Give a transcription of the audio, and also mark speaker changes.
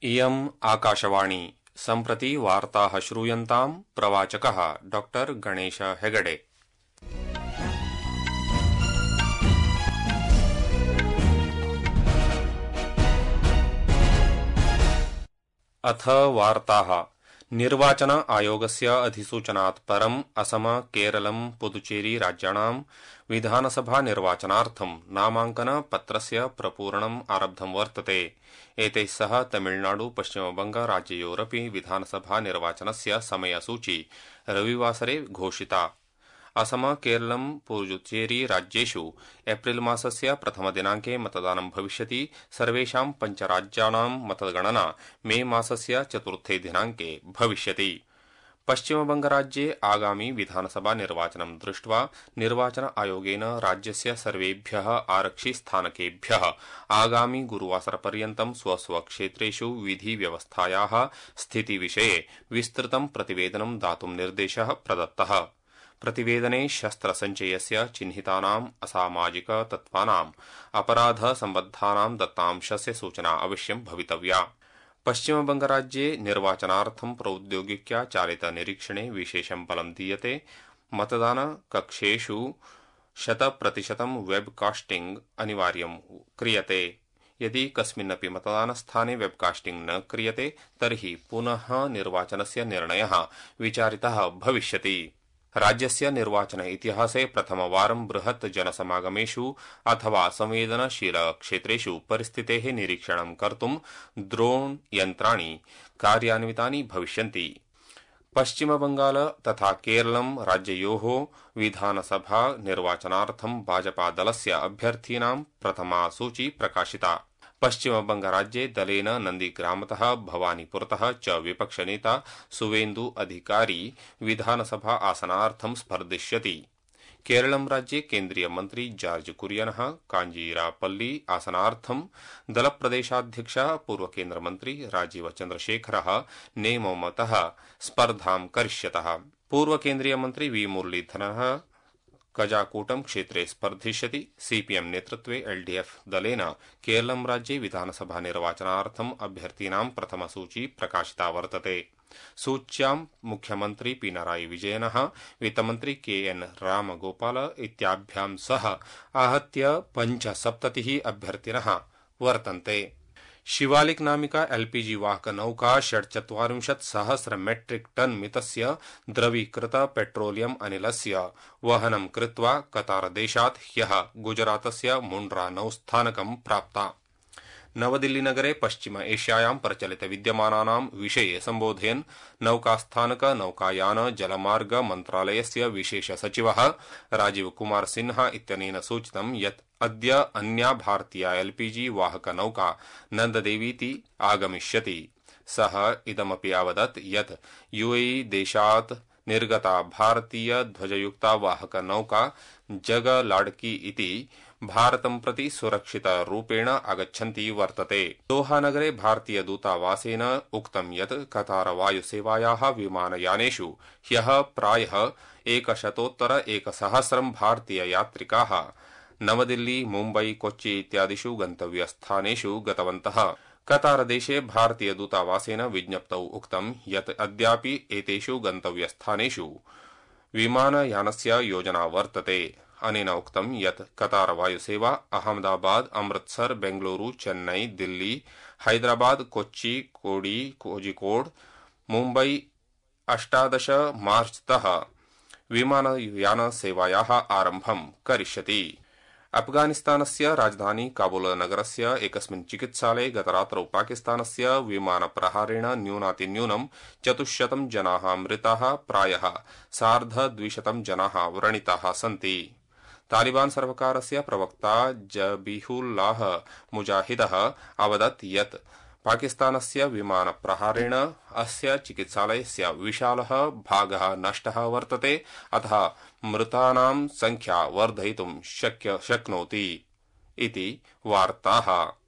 Speaker 1: इयम् आकाशवाणी सम्प्रति वार्ताः श्रूयन्ताम् प्रवाचकः डॉक्टर गणेश हेगडे। अथ वार्ताः। निर्वाचन आयोगस्य अधिसूचनात् परम् असम, केरलम्, पुदुचेरी राज्याणां विधानसभा निर्वाचनार्थं नामांकन पत्रस्य प्रपूरणम् आरब्धं वर्तते। एतैः सह तमिलनाडु, पश्चिमबंग राज्ययोरपि विधानसभा निर्वाचनस्य समयसूची रविवासरे घोषिता। असम, केरलम्, पुदुचेरी राज्येषु एप्रिल मासस्य प्रथमदिनाङ्के मतदानं भविष्यति। सर्वेषां पञ्चराज्यानां मतगणना मे मासस्य चतुर्थे दिनाङ्के भविष्यति। पश्चिमबंगराज्ये आगामि विधानसभा निर्वाचनं दृष्ट्वा निर्वाचन आयोगेन राज्यस्य सर्वेभ्यः आरक्षिस्थानकेभ्यः आगामि गुरुवासरपर्यन्तं स्वस्वक्षेत्रेषु विधिव्यवस्थायाः स्थितिविषये विस्तृतं प्रतिवेदनं दातुं निर्देशः प्रदत्तः। प्रतिवेदने शस्त्रसञ्चयस्य चिह्नितानाम् असामाजिक तत्त्वानाम् अपराधसम्बद्धानां दत्तांशस्य सूचना अवश्यं भवितव्या। पश्चिमबंगराज्ये निर्वाचनार्थं प्रौद्योगिक्या चालित निरीक्षणे विशेषं बलं दीयते। मतदानकक्षेषु 100% वेबकास्टिंग अनिवार्यं क्रियते। यदि कस्मिन्नपि मतदानस्थाने वेबकास्टिंग न क्रियते तर्हि पुनः निर्वाचनस्य निर्णयः विचारितः भविष्यति। राज्यस्य निर्वाचन इतिहासे प्रथमवारं बृहत् जनसमागमेषु अथवा संवेदनशील क्षेत्रेषु परिस्थितेः निरीक्षणं कर्तुं ड्रोन यन्त्राणि कार्यान्वितानि भविष्यन्ति। पश्चिमबंगाल तथा केरलम राज्ययोः विधानसभा निर्वाचनार्थं भाजपा दलस्य अभ्यर्थीनां प्रथमा सूची प्रकाशिता। पश्चिमबंगराज्ये दलेन नन्दीग्रामतः भवानीपुरतः च विपक्षनेता सुवेन्दु अधिकारी विधानसभा आसनार्थं स्पर्धिष्यति। केरलम राज्ये केन्द्रीय मन्त्री जार्ज कुरियनः काञ्जीरापल्ली आसनार्थं दलप्रदेशाध्यक्षः पूर्वकेन्द्रमन्त्री राजीव चन्द्रशेखरः नेमोमतः स्पर्धां करिष्यतः। पूर्वकेन्द्रीयमन्त्री वी मुरलीधरः कजाकूटम क्षेत्रे स्पर्धिष्यति। सीपीएम नेतृत्वे एलडीएफ दलेन केरलम राज्ये विधानसभा निर्वाचनार्थं अभ्यर्थीनां प्रथमसूची प्रकाशिता वर्तते। सूच्यां मुख्यमन्त्री पिनराई विजयनः, वित्तमन्त्री केएन रामगोपाल इत्याभ्यां सह आहत्य 75 अभ्यर्थिनः वर्तन्ते। शिवालिक नामिका एलपीजी वाहक नौका 46,000 मेट्रिक टन मितस्य द्रवीकृत पेट्रोलियम अनिलस्य वहनं कृत्वा कतारदेशात् ह्यः गुजरातस्य मुंड्रा नौस्थानकं प्राप्ता। नवदिल्लीनगरे पश्चिम एशियायां प्रचलित विद्यमानानां विषये सम्बोधयन् नौकास्थानक नौकायान जलमार्ग मन्त्रालयस्य विशेष सचिवः राजीव कुमार सिन्हा इत्यनेन सूचितं यत् अद्य अन्या भारतीया एलपीजी वाहक नौका नन्ददेवीति आगमिष्यति। सः इदमपि अवदत् यत् यूएई देशात् निर्गता भारतीय ध्वजयुक्ता वाहक नौका जगलाडकी इति भारतं प्रति सुरक्षितरूपेण आगच्छन्ती वर्तते। दोहानगरे भारतीय दूतावासेन उक्तं यत् कतार वायुसेवायाः विमानयानेषु ह्यः प्रायः 100 भारतीय यात्रिकाः नवदिल्ली, मुम्बई, कोच्चि इत्यादिषु गन्तव्यस्थानेषु गतवन्तः। कतारदेशे भारतीय दूतावासेन विज्ञप्तौ उक्तं यत् अद्यापि एतेषु गन्तव्यस्थानेषु विमानयानस्य योजना वर्तते। अनेन उक्तं यत् कतार वायुसेवा अहमदाबाद, अमृतसर, बेंगलुरु, चेन्नई, दिल्ली, हैदराबाद, कोच्चि, कोझिकोड, मुम्बई 18 मार्चतः विमानयानसेवायाः आरम्भं करिष्यति। अफगानिस्तानस्य राजधानी काबुल नगरस्य एकस्मिन् चिकित्सालये गतरात्रौ पाकिस्तानस्य विमानप्रहारेण न्यूनातिन्यूनं 400 जनाः मृताः, प्रायः 250 जनाः व्रणिताः सन्ति। तालिबान सर्वकारस्य प्रवक्ता जबीहुल्लाह मुजाहिदः अवदत् यत् पाकिस्तानस्य विमानप्रहारेण अस्य चिकित्सालयस्य विशालः भागः नष्टः वर्तते, अतः मृतानां संख्या वर्धयितुं शक्नोति इति वार्ताः।